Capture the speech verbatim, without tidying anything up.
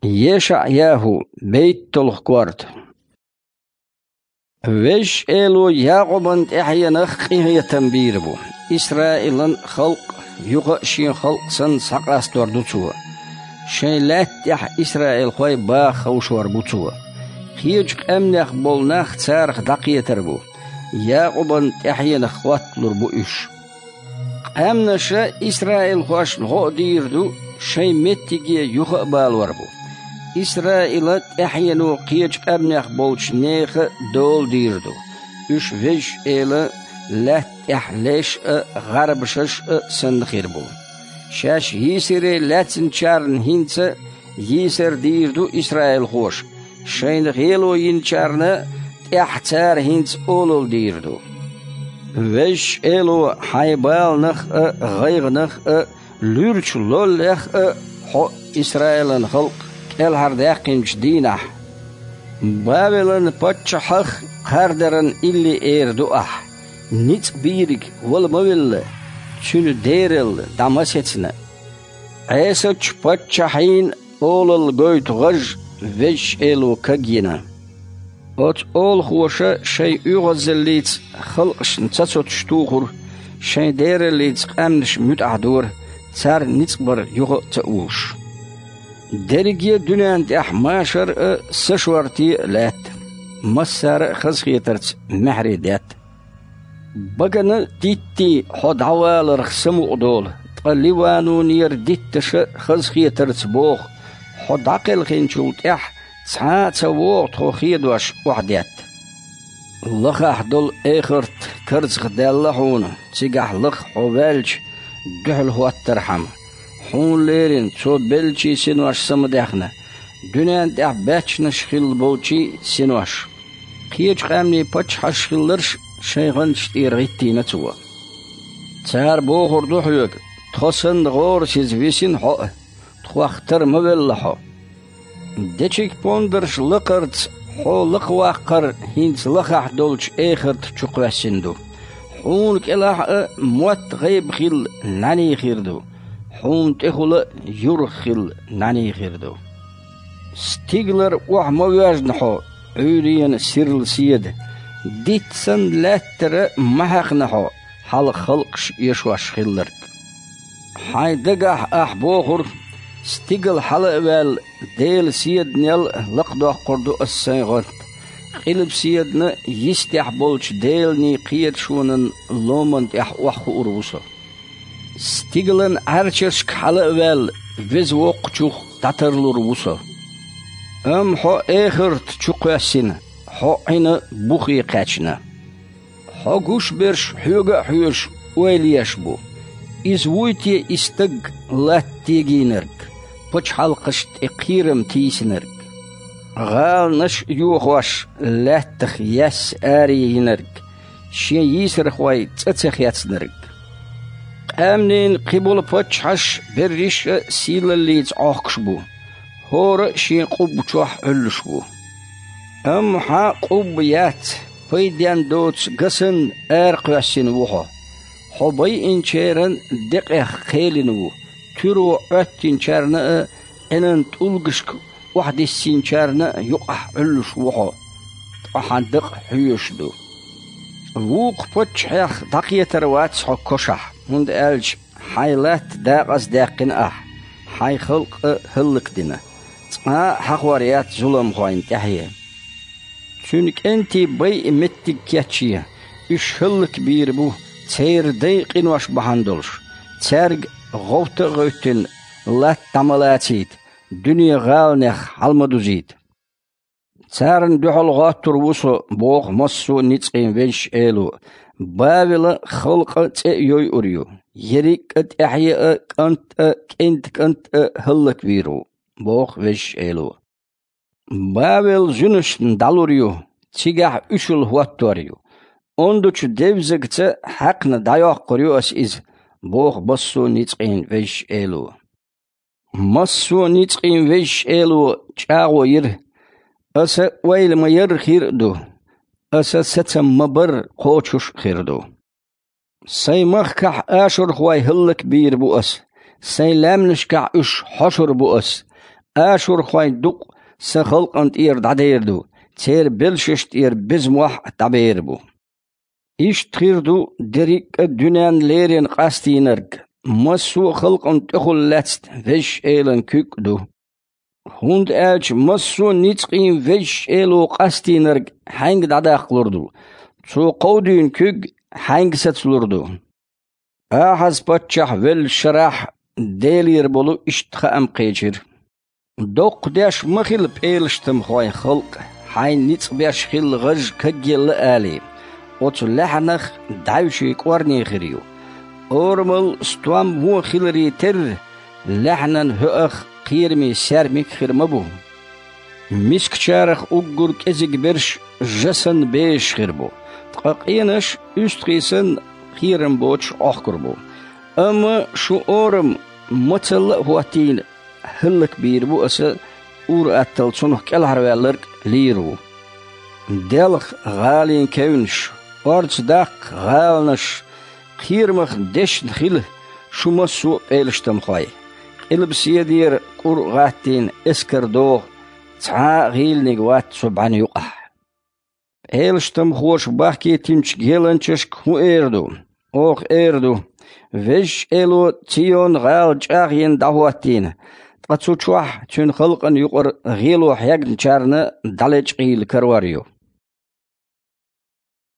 ЕшаӀ-ЯхӀу, бейтталгӀа корта. Везачу Эло Якъубан тӀаьхьенах къинхетам бийр бу. Исраилан халкъ юха а шен халкъ санна схьакъастор ду Цо. Шайн лаьтта тӀехь исраилхой баха ховшор бу Цо. Кхечу къаьмнех болу нах царах дӀакхетар бу. Якъубан тӀаьхьенах хӀотталур бу уьш. Къаьмнаша исраилхошна гӀо а дийр ду, шайн меттиге юха а балор бу. Исраилан тӀаьхьено кхечу къаьмнех болчу нехан а дола дийр ду. Уьш Везачу Элан лаьтта тӀехь леш а, гӀарбашаш а санна хир бу. Шаьш йийсаре лаьцначарна хӀинца а йийсар дийр ду исраилхоша, шайна гӀело йинчарна тӀехь цара хӀинца олалла дийр ду. Везачу Эло хьайн баланах а, гӀайгӀанах а, луьрачу лоллех а хьо а, Исраилан халкъ, кӀелхьардаьккхинчу дийнахь: «Бавелан паччахьах кхардаран илли эр ду ахь, ницкъ бийриг вала ма велла, цуьнан дералла дӀа ма сецна». Ӏесачу паччахьийн олалла гойту гӀаж Везачу Эло кагйина. Оцу олахоша шайн оьгӀазаллица халкъашна цацоцуш тухура, шайн дераллица къаьмнаш муьтӀахь дора, царна ницкъ бар юха а ца уьллуш. Дерриге а дуьненна тӀехь машар а, са шорта а лаьтта, массара а хазахетарца маьхьарий детта. Багана диттий хьо дӀаваларх самукъадолу, ткъа Ливанонера дитташа хазахетарца боху, хьо дӀакхелхинчул тӀаьхьа цхьа а ца вогӀу тхо хедош охьадетта. Лахахь долу эхарт карзахдаьлла хьуна, цигахь лаха хьо ваьлча дуьхьал хӀоттархьама. Хьуна лерина цо беллачийн синош самадаьхна, дуьненна тӀехь баьччанаш хилла болчийн синош. Кхечу къаьмнийн паччахьаш хилларш шайн гӀанташ тӀера гӀиттийна цо. Цара бохур ду хьоьга: «Тхо санна гӀорасиза висина хьо а, тхох тара ма велла хьо». Дечиг-пондарш лакхарца хьо лакхаваккхар хӀинца лахахь долчу эхарта чу кхоьссина ду. Хьуна кӀелахь а мотт-гӀайба хилла нӀаьний хир ду, хьуна тӀехула а юргӀа хилла нӀаьний хир ду. Стигалара охьа ма воьжна хьо, Ӏуьйренан сирла седа, дитт санна лаьттара ма хьаькхна хьо, хьалха халкъаш эшош хилларг. Хьайн дагахь ахь бохура: «Стигала хьала а ваьлла, Делан седанел лакхадоккхур ду ас сайн гӀант. Къилба седана йистехь болчу Делан кхеташонан ломан тӀехь охьахуур ву со. Стигалан Ӏаьрчашка хьала а ваьлла, Веза Воккхачух дӀатарлур ву со». Амма хьо эхарта чу кхоьссина, хьо Ӏина бухе кхаьчна. Хьо гуш берш хьоьга а хьоьжуш ойла еш бу. Иза вуй те и стаг, латта тегийнарг, пачхьалкхашна тӀе кхерам тийсинарг? ГӀаланаш а йохош, лаьттах яьсса аре йинарг, шен йийсархой цӀа ца хецнарг. Къаьмнийн кхиболу паччахьаш берриш а сийлаллица Ӏохкуш бу, хӀора а шен къубба чохь Ӏуьллуш ву. Амма хьан къубба яц, пайден доцу гасанна аракхоьссина ву хьо. Хьо байинчеран декъех кхелина ву, туьро Ӏоьттинчарна а, Ӏинан тӀулгашка охьадиссинчарна а юкъахь Ӏуьллуш ву хьо, ткъа хьан дакъа хьоьжуш ду. Вукху паччахьех дӀакхетар вац хьо кошахь, хӀунда аьлча хьайн латта дакъаздаьккхина ахь, хьайн халкъ а хӀаллакдина, цкъа а хьахор яц зуламхойн тӀаьхье. Цуьнан кӀентий байа меттиг кечъе, уьш хӀаллакбийр бу, церан дайн къинош бахьана долуш, цаьрга гӀовта а гӀевттина, латта дӀа ма лацийта, дуьне гӀаланех хьала ма дузийта. Царна дуьхьал гӀоттур ву со, боху массо а ницкъийн Везачу Эло, Бавелан халкъан цӀе а йойур ю, ерриг а тӀаьхье а, кӀант а, кӀентан кӀант а хӀаллаквийр ву, боху Везачу Эло. Бавел зуьнашна дӀалур ю, цигахь уьшалла хӀоттор ю. Ондачу девзагца хьаькхна дӀайоккхур ю ас иза, боху массо а ницкъийн Везачу Эло. Массо а ницкъийн Везачу Эло чӀагӀо йира: «Аса ойла ма-ярра хир а ду, аса сацам ма-барра кхочуш а хир ду. Сайн махкахь ашурхой хӀаллакбийр бу ас, сайн лаьмнашкахь уьш хьошур бу ас, Ашурхойн дукъ Сан халкъана тӀера дӀадер ду, церан белшаш тӀера беза мохь а дӀабер бу. Иштта хир ду дерриг а дуьненна леррина къастийнарг, массо а халкъана тӀехула лаьцна Везачу Элан куьг а ду. ХӀунда аьлча массо а ницкъийн Везачу Эло къастийнарг хьаьнга дӀадаккхалур ду? Цо кховдийна куьг хьаьнга сацалур ду?» Ахьаз-паччахь веллачу шарахь Делера болу иштта хаам кхечира: «Доккха деш ма хила, пӀелаштамхой, халкъ хьайна ницкъ беш хилла гӀаж кагъелла алий, оцу лаьхьанах дӀаьвший кӀорне хир ю. Орамал стом вон хиларе терра, лаьхьанан хӀоах кхераме саьрмик а хир ма бу. Мискачарах уггар кӀезиг берш жа санна безаш хир бу, ткъа къенаш уьстагӀий санна кхерам боцуш Ӏохкур бу. Амма шун орам мацалла а хӀоттийна, хӀаллакбийр бу аса, ур-атталла цунах кӀелхьарваьлларг лийр ву. Делха гӀалин кевнаш, орца даккха гӀаланаш, кхерамах дешна хила шу массо а, пӀелаштамхой. Къилбаседера кӀур а гӀаттийна эскар догӀу, цхьа а гӀийланиг вац цу бӀаьнна юкъахь. ПӀелаштамхоша бахкийтинчу геланчашка хӀун эр ду? Оха эр ду: „Везачу Эло Цийон-гӀала чӀагӀйина дӀахӀоттийна, ткъа цу чохь Цуьнан халкъана юкъара гӀело хьегначарна дӀалечкъийла карор ю“».